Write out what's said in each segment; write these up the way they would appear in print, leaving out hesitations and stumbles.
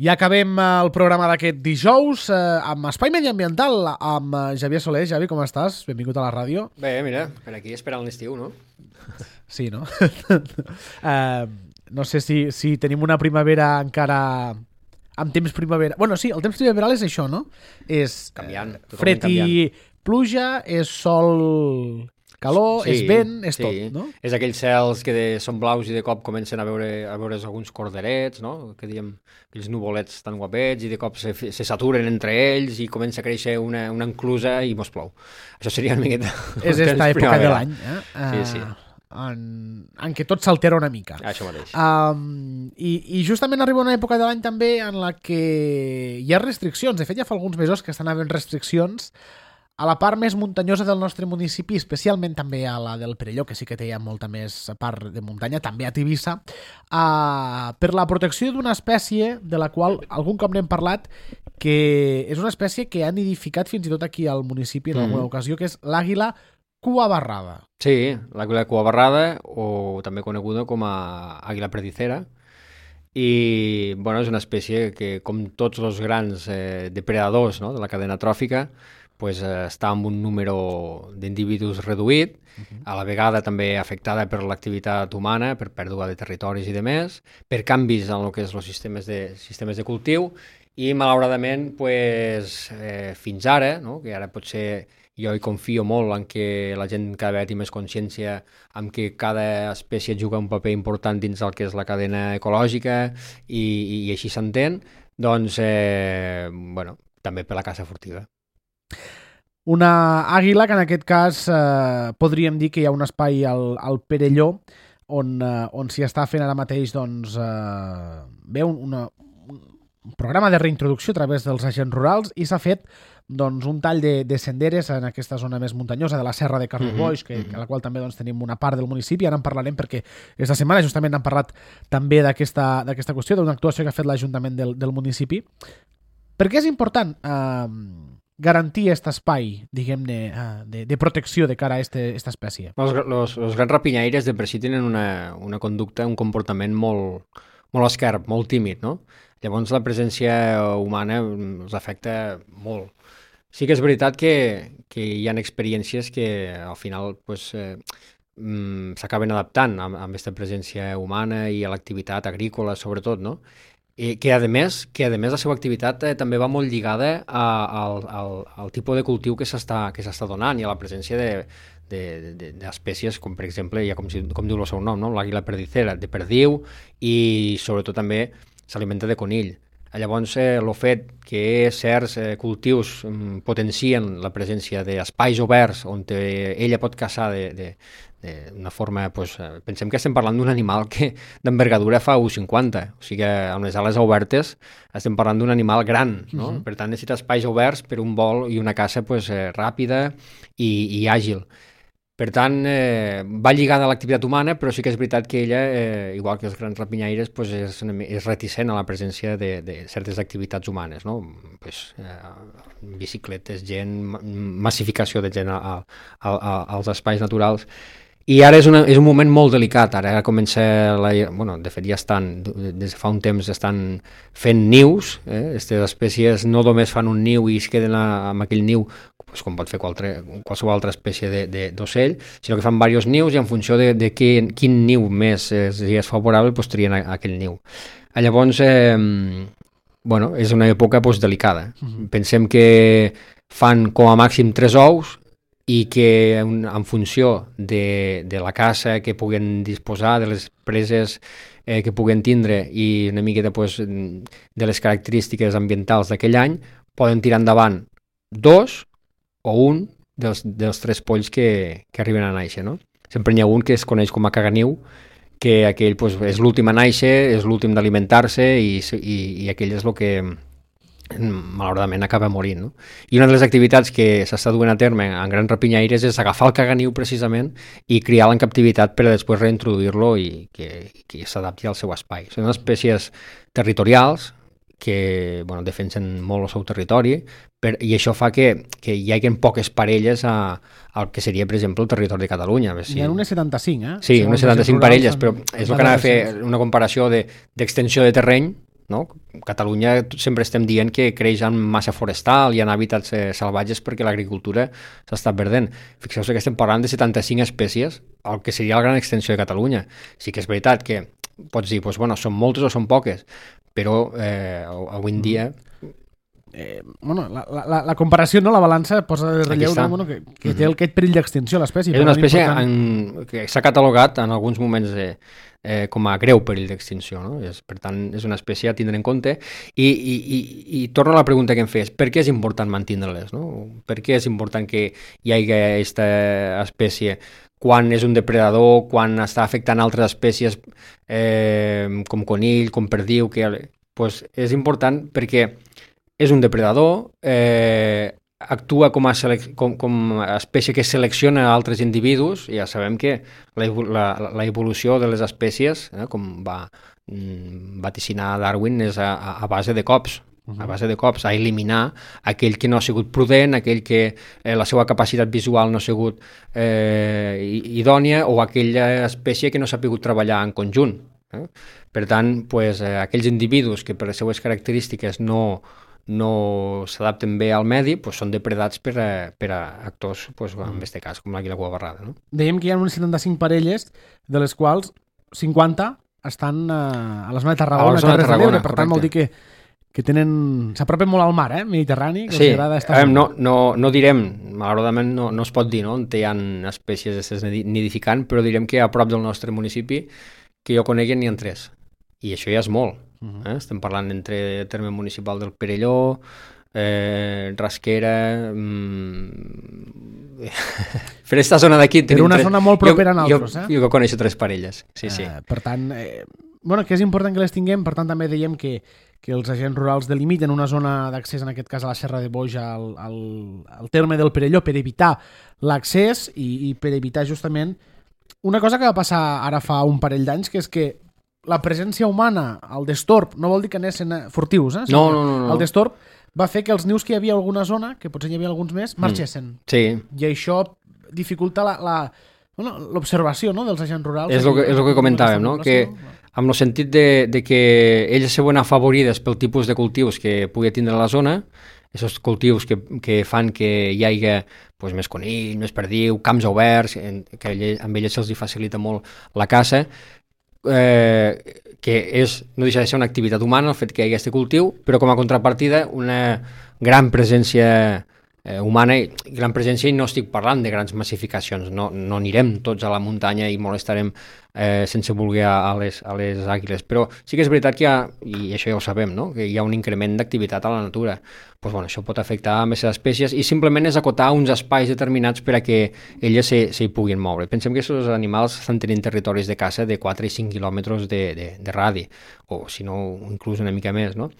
Ja acabem el programa d'aquest dijous amb Espai Mediambiental, amb Xavier Soler. Javi, com estàs? Benvingut a la ràdio. Bé, mira, per aquí esperant l'estiu, no? Sí, no? No sé si tenim una primavera encara amb temps primavera. Bueno, sí, el temps primaveral és això, no? És canviant, fred i pluja, és sol, calor, sí, és vent, és sí. tot, no? És aquells cels que són blaus i de cop comencen a veure's alguns corderets, no? Que diem, aquells nuvolets tan guapets, i de cop se saturen entre ells i comença a créixer una enclusa i mos plou. Això seria una miqueta... És esta època de l'any, Sí. En què tot s'altera una mica. Això mateix. I justament arriba una època de l'any també en la que hi ha restriccions. De fet, ja fa alguns mesos que estan havent restriccions a la part més muntanyosa del nostre municipi, especialment també a la del Perelló, que sí que té ja molta més part de muntanya, també a Tivissa, per la protecció d'una espècie de la qual algun cop n'hem parlat, que és una espècie que han nidificat fins i tot aquí al municipi en alguna ocasió, que és l'àguila cuabarrada. Sí, l'àguila cuabarrada, o també coneguda com a àguila perdicera. I bueno, és una espècie que, com tots els grans depredadors, no, de la cadena tròfica, pues, està amb un número d'individus reduït, a la vegada també afectada per l'activitat humana, per pèrdua de territoris i de més, per canvis en el que és els sistemes de cultiu, i malauradament pues, fins ara, no, que ara potser jo hi confio molt en que la gent cada vegada té més consciència en que cada espècie juga un paper important dins el que és la cadena ecològica i així s'entén, doncs bueno, també per la caça furtiva. Una àguila que en aquest cas podríem dir que hi ha un espai al Perelló on s'hi està fent ara mateix doncs, un programa de reintroducció a través dels agents rurals i s'ha fet doncs, un tall de senderes en aquesta zona més muntanyosa de la Serra de Carneboix, a la qual també doncs, tenim una part del municipi. Ara en parlarem perquè aquesta setmana justament hem parlat també d'aquesta qüestió, d'una actuació que ha fet l'Ajuntament del municipi. Per què és important garantir aquest espai, diguem-ne, de protecció de cara a aquesta espècie? Els grans rapinyaires de per si tenen una conducta, un comportament molt esquerp, molt tímid, no? Llavors la presència humana els afecta molt. Sí que és veritat que hi ha experiències que al final pues, s'acaben adaptant amb aquesta presència humana i a l'activitat agrícola sobretot, no? I que a més la seva activitat també va molt lligada al tipus de cultiu que s'està donant i a la presència d'espècies com per exemple, ja com diu el seu nom, no? L'àguila perdicera, de perdiu, i sobretot també s'alimenta de conill. Llavors, el fet que certs cultius potencien la presència d'espais oberts on ella pot caçar d'una forma... Pues, pensem que estem parlant d'un animal que d'envergadura fa 1,50, o sigui que amb les ales obertes estem parlant d'un animal gran, no? Per tant necessita espais oberts per un vol i una caça pues, ràpida i àgil. Per tant, va lligada a l'activitat humana, però sí que és veritat que ella, igual que els grans rapinyaires, pues és reticent a la presència de certes activitats humanes, no? Pues, bicicletes, gent, massificació de gent als espais naturals. I ara és un moment molt delicat, ara comença, de fet ja des de fa un temps estan fent nius, aquestes espècies no només fan un niu i es queden amb aquell niu, pues, com pot fer qualsevol altra espècie d'ocell, sinó que fan diversos nius i en funció de quin niu més és favorable, pues, trien aquell niu. Llavors, és una època pues, delicada. Pensem que fan com a màxim 3 ous i que en funció de la caça que puguen disposar, de les preses que puguen tindre i una miqueta pues, de les característiques ambientals d'aquell any, poden tirar endavant 2 o un dels 3 polls que arriben a néixer, no? Sempre n'hi ha un que es coneix com a caganiu, que aquell pues, és l'últim a néixer, és l'últim d'alimentar-se i aquell és el que malauradament acaba morint, no? I una de les activitats que s'està duent a terme en grans rapinyaires és agafar el caganiu precisament i criar-lo en captivitat per a després reintroduir-lo i que s'adapti al seu espai. Són espècies territorials que defensen molt el seu territori i això fa que hi hagi poques parelles al que seria, per exemple, el territori de Catalunya. Hi ha unes 75, Sí, unes 75 parelles, però és el que anava a fer una comparació d'extensió de terreny, no? Catalunya sempre estem dient que creix en massa forestal, hi ha hàbitats salvatges perquè l'agricultura s'està perdent. Fixeu-vos que estem parlant de 75 espècies, el que seria la gran extensió de Catalunya. Sí que és veritat que pots dir, doncs, bueno, són moltes o són poques, però avui en dia... bueno, la comparació, no? La balança posa de relleu, no? Bueno, que té aquest perill d'extinció l'espècie. És una espècie que s'ha catalogat en alguns moments com a greu perill d'extinció, no? Per tant, és una espècie a tindre en compte i torno a la pregunta que em fes, per què és important mantenir-les, no? Per què és important que hi hagi aquesta espècie quan és un depredador, quan està afectant altres espècies com conill, com perdiu, pues és important perquè és un depredador, actua com a espècie que selecciona altres individus, i ja sabem que la evolució de les espècies, com va vaticinar Darwin, és a base de cops, a eliminar aquell que no ha sigut prudent, aquell que la seva capacitat visual no ha sigut idònia, o aquella espècie que no s'ha pogut treballar en conjunt. Per tant, pues, aquells individus que per les seues característiques no s'adapten bé al medi, pues, són depredats per a actors, pues, en aquest cas, com l'àguila cuabarrada. No? Dèiem que hi ha unes 75 parelles, de les quals 50 estan a la zona de Tarragona, per tant vol dir que s'apropen molt al mar, Mediterrani, que sí, estar... no direm, malauradament no es pot dir, no? On hi ha espècies nidificant, però direm que a prop del nostre municipi, que jo conegui, n'hi ha 3, i això ja és molt. Estem parlant entre terme municipal del Perelló, Rasquera, per aquesta zona d'aquí per una zona molt propera a altres. Jo coneixo 3 parelles, sí. Per tant, que és important que les tinguem, per tant també dèiem que els agents rurals delimiten una zona d'accés, en aquest cas a la Serra de Boix, al terme del Perelló, per evitar l'accés i per evitar justament una cosa que va passar ara fa un parell d'anys, que és que la presència humana al destorb no vol dir que anessin furtius, No. El destorb va fer que els nius que hi havia a alguna zona, que potser hi havia alguns més, marxessin. Sí. I això dificulta l'observació, no?, dels agents rurals. És el que comentàvem, no?, que amb el sentit de que ells se veuen afavorides pel tipus de cultius que pugui tindre a la zona, aquests cultius que fan que hi hagi pues, més conill, més perdiu, camps oberts, que amb ells se'ls facilita molt la caça, que no deixa de ser una activitat humana el fet que hi hagi aquest cultiu, però com a contrapartida una gran presència humana, i gran presència, i no estic parlant de grans massificacions, no anirem tots a la muntanya i molestarem sense voler a les àguiles, però sí que és veritat que hi ha, i això ja ho sabem, no?, que hi ha un increment d'activitat a la natura. Pues, bueno, això pot afectar a més espècies i simplement és acotar uns espais determinats per a que elles s'hi puguin moure. Pensem que aquests animals estan tenint territoris de caça de 4 i 5 quilòmetres de radi, o si no, inclús una mica més, no?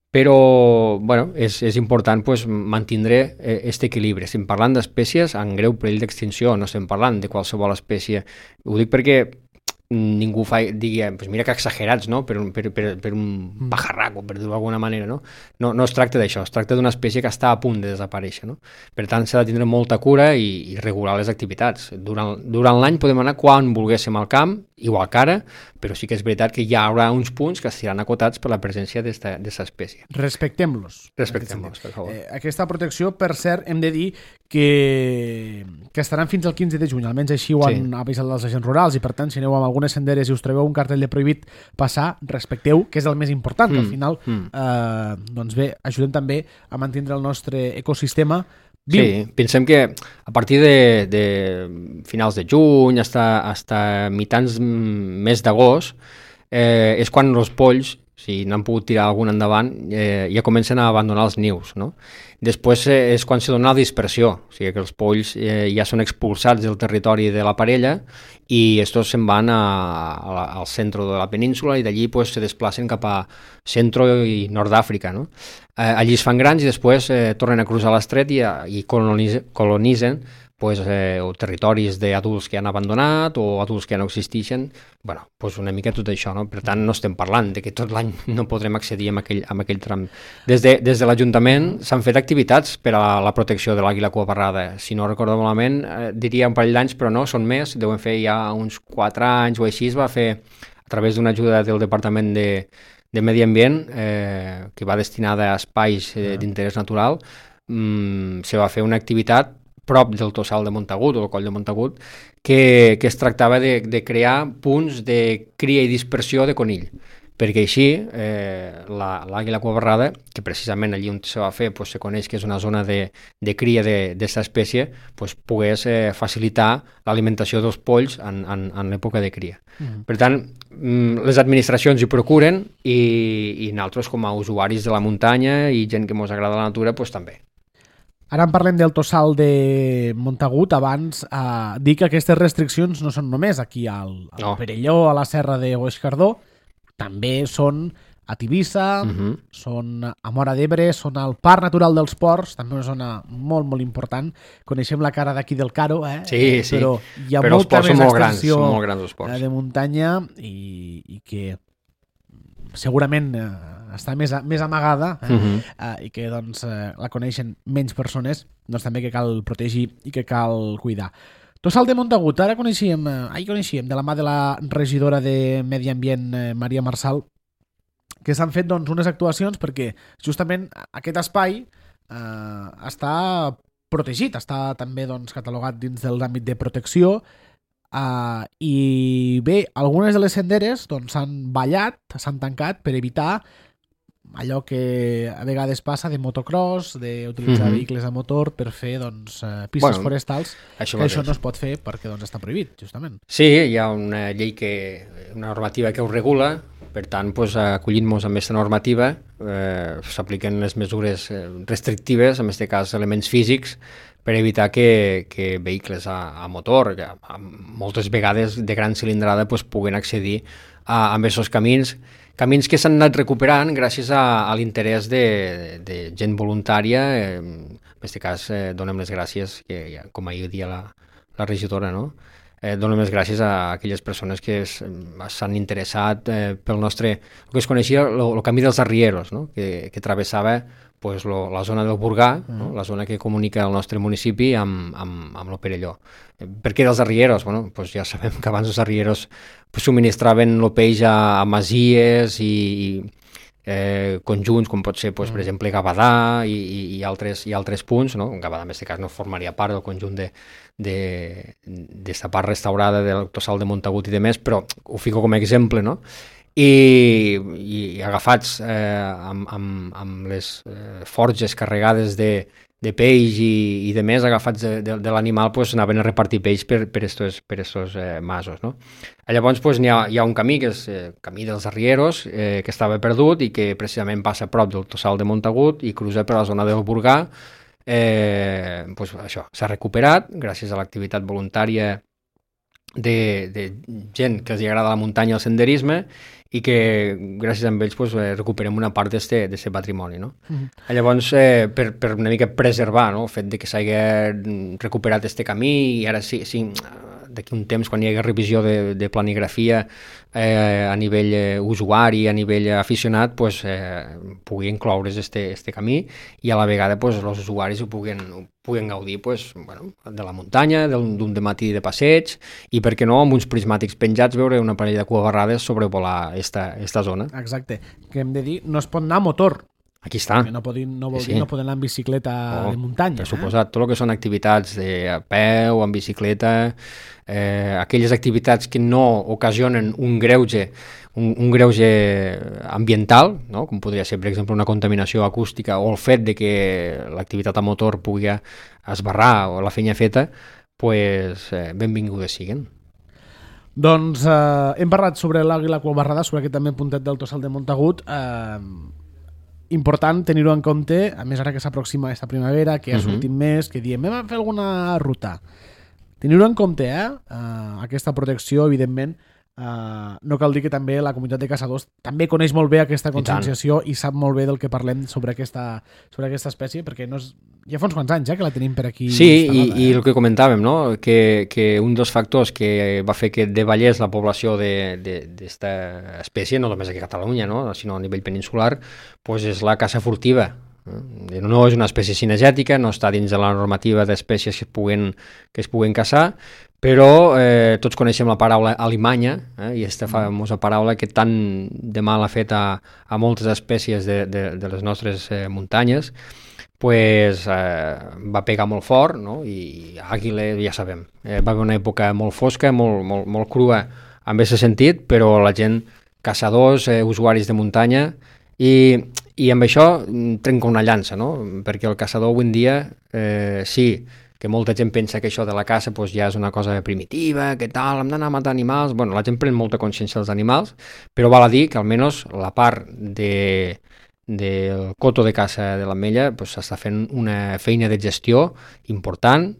Però, bueno, és important pues, mantenir aquest equilibri. Estem parlant d'espècies en greu perill d'extinció, no estem parlant de qualsevol espècie. Ho dic perquè ningú digui, pues mira que exagerats, no?, per un pajarraco, per dir-ho d'alguna manera, no? No es tracta d'això, es tracta d'una espècie que està a punt de desaparèixer, no? Per tant, s'ha de tindre molta cura i regular les activitats. Durant l'any podem anar quan volguéssim al camp, igual que ara, però sí que és veritat que hi haurà uns punts que estaran acotats per la presència d'aquesta espècie. Respectem-los. Respectem-los, per favor. Aquesta protecció, per cert, hem de dir que estaran fins al 15 de juny, almenys així ho han avisat els agents rurals, i per tant, si aneu amb algunes senderes i us trobeu un cartell de prohibit passar, respecteu, que és el més important, que al final doncs bé, ajudem també a mantenir el nostre ecosistema viu. Sí, pensem que a partir de finals de juny fins mitjans mes d'agost és quan els polls, si n'han pogut tirar algun endavant, ja comencen a abandonar els nius, no? Després és quan se dona la dispersió, o sigui que els polls ja són expulsats del territori de la parella i estos se'n van al centre de la península i d'allí pues, se desplacen cap a centre i nord d'Àfrica, no? Allí es fan grans i després tornen a cruzar l'estret i colonitzen pues, o territoris d'adults que han abandonat o adults que ja no existeixen, bueno, pues una mica tot això, no? Per tant, no estem parlant de que tot l'any no podrem accedir a aquell tram. Des de l'Ajuntament s'han fet activitats per a la protecció de l'àguila cuabarrada. Si no recordo malament, diria un parell d'anys, però no, són més, deuen fer ja uns 4 anys o així, es va fer a través d'una ajuda del Departament de Medi Ambient, que va destinada a espais d'interès natural, se va fer una activitat prop del Tossal de Montagut, o el Coll de Montagut, que es tractava de crear punts de cria i dispersió de conill, perquè així l'àguila cuabarrada, que precisament allí on se va fer se coneix que és una zona de cria d'aquesta espècie, pogués facilitar l'alimentació dels polls en l'època de cria. Per tant, les administracions hi procuren i nosaltres com a usuaris de la muntanya i gent que ens agrada la natura, també. Ara en parlem del Tossal de Montagut. Abans dir que aquestes restriccions no són només aquí al Perelló, a la serra de Boixcardó, també són a Tivissa, són a Móra d'Ebre, són al Parc Natural dels Ports, també una zona molt, molt important. Coneixem la cara d'aquí del Caro, Sí. Però hi ha molta més extensió de muntanya i que segurament està més amagada i que la coneixen menys persones, també que cal protegir i que cal cuidar. Tossal de Montagut, ahir coneixíem de la mà de la regidora de Medi Ambient, Maria Marçal, que s'han fet unes actuacions perquè justament aquest espai està protegit, està també catalogat dins de l'àmbit de protecció. I bé, algunes de les senderes s'han ballat, s'han tancat per evitar allò que a vegades passa de motocross, d'utilitzar vehicles a motor per fer pistes forestals, que això no es pot fer perquè està prohibit, justament. Sí, hi ha una llei una normativa que ho regula, per tant, acollint-nos amb aquesta normativa s'apliquen les mesures restrictives, en aquest cas elements físics, per evitar que vehicles a motor, que moltes vegades de gran cilindrada, puguen accedir a aquests camins que s'han anat recuperant gràcies a l'interès de gent voluntària. En aquest cas donem les gràcies, com ahir dia la regidora, no? Donem les gràcies a aquelles persones que s'han interessat pel nostre, el que es coneixia el camí dels arrieros, no? que travessava la zona del Burgà, no? La zona que comunica el nostre municipi amb el Perelló. Per què dels arrieros? Ja sabem que abans els arrieros subministraven el peix a masies i conjunts, com pot ser, per exemple, Gavadà i altres punts, no? Gavadà, en aquest cas, no formaria part del conjunt d'esta part restaurada del Tossal de Montagut i demés, però ho fico com a exemple, no? I agafats amb les forges carregades de peix i de més, agafats de l'animal, anaven a repartir peix per estos masos, no? Llavors hi ha un camí, que és el camí dels arrieros, que estava perdut i que precisament passa a prop del Tossal de Montagut i cruza per la zona del Burgà. Això s'ha recuperat gràcies a l'activitat voluntària de gent que els agrada la muntanya i el senderisme, i que gràcies a ells recuperem una part d'aquest patrimoni, no? Llavors, per una mica preservar, no? El fet de que s'hagi recuperat aquest camí, i ara sí d'aquí un temps, quan hi hagi revisió de planigrafia a nivell usuari, a nivell aficionat, pugui incloure's este camí i a la vegada els usuaris ho puguen gaudir de la muntanya, d'un dematí de passeig, i per què no, amb uns prismàtics penjats, veure una parella de cuabarrades sobrevolar esta zona. Exacte, que hem de dir, no es pot anar a motor. Aquí està. No poden anar en bicicleta de muntanya. Per suposat, tot el que són activitats a peu, en bicicleta, aquelles activitats que no ocasionen un greuge ambiental, no? Com podria ser, per exemple, una contaminació acústica, o el fet de que l'activitat a motor pugui esbarrar o la feina feta, benvingudes siguen. Doncs hem parlat sobre l'àguila cuabarrada, sobre aquest també puntet del Tossal de Montagut. Important tenir-ho en compte, a més ara que s'aproxima aquesta primavera, que ja sortim més, que diem, hem de fer alguna ruta. Tenir-ho en compte, aquesta protecció, evidentment, no cal dir que també la comunitat de caçadors també coneix molt bé aquesta conscienciació i sap molt bé del que parlem sobre aquesta espècie, perquè ja fa uns quants anys que la tenim per aquí. Sí, i el que comentàvem, no? Que un dels factors que va fer que davallés la població d'esta espècie, no només aquí a Catalunya, no? Sinó a nivell peninsular, és la caça furtiva. No és una espècie cinegètica, no està dins de la normativa d'espècies que es puguen caçar, però tots coneixem la paraula alimanya, i aquesta famosa paraula que tant de mal ha fet a moltes espècies de les nostres muntanyes, pues, va pegar molt fort, no? I Àguila, ja sabem, va haver una època molt fosca, molt crua en aquest sentit, però la gent, caçadors, usuaris de muntanya, i amb això trenca una llança, no? Perquè el caçador avui en dia, sí, que molta gent pensa que això de la caça pues, ja és una cosa primitiva, que tal, hem d'anar a matar animals. Bueno, la gent pren molta consciència dels animals, però val a dir que almenys la part del coto de caça de l'Ametlla pues, s'està fent una feina de gestió important,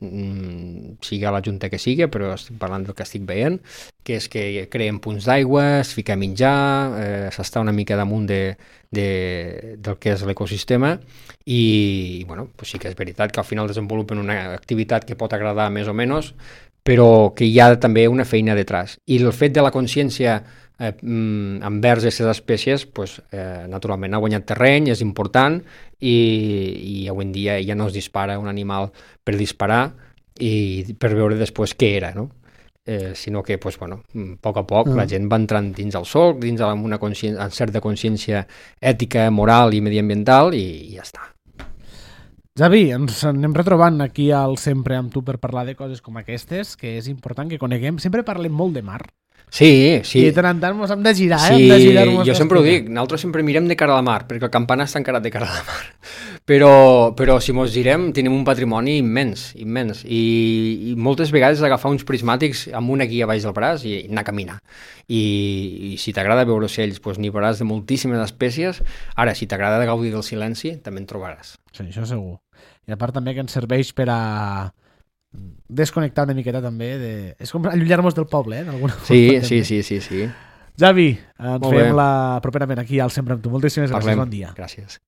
sigui a la junta que sigui, però estic parlant del que estic veient, que és que creen punts d'aigua, es fica a menjar, s'està una mica damunt del que és l'ecosistema i bueno, pues sí que és veritat que al final desenvolupen una activitat que pot agradar més o menys, però que hi ha també una feina detrás. I el fet de la consciència envers aquestes espècies, pues, naturalment ha guanyat terreny, és important i avui en dia ja no es dispara un animal per disparar i per veure després què era, no? Sinó que, pues, bueno, a poc la gent va entrant dins el solc, dins una certa consciència ètica, moral i mediambiental i ja està. Javi, ens anem retrobant aquí al Sempre amb tu per parlar de coses com aquestes, que és important que coneguem. Sempre parlem molt de mar. Sí. I de tant en tant ens hem de girar, sí, hem de girar-nos. Jo sempre ho dic, nosaltres sempre mirem de cara a la mar, perquè el campanar està encarat de cara a la mar. Però si mos girem, tenim un patrimoni immens. I moltes vegades agafar uns prismàtics amb una guia baix del braç i anar a caminar. I si t'agrada veure ocells, doncs n'hi veuràs de moltíssimes espècies. Ara, si t'agrada gaudir del silenci, també en trobaràs. Sí, això segur. I a part també que ens serveix per a desconnectar una miqueta també és com allunyar-nos del poble, en alguna forma. Sí. Javi, ens veiem properament aquí al Sempre amb tu. Moltíssimes gràcies, bon dia. Gràcies.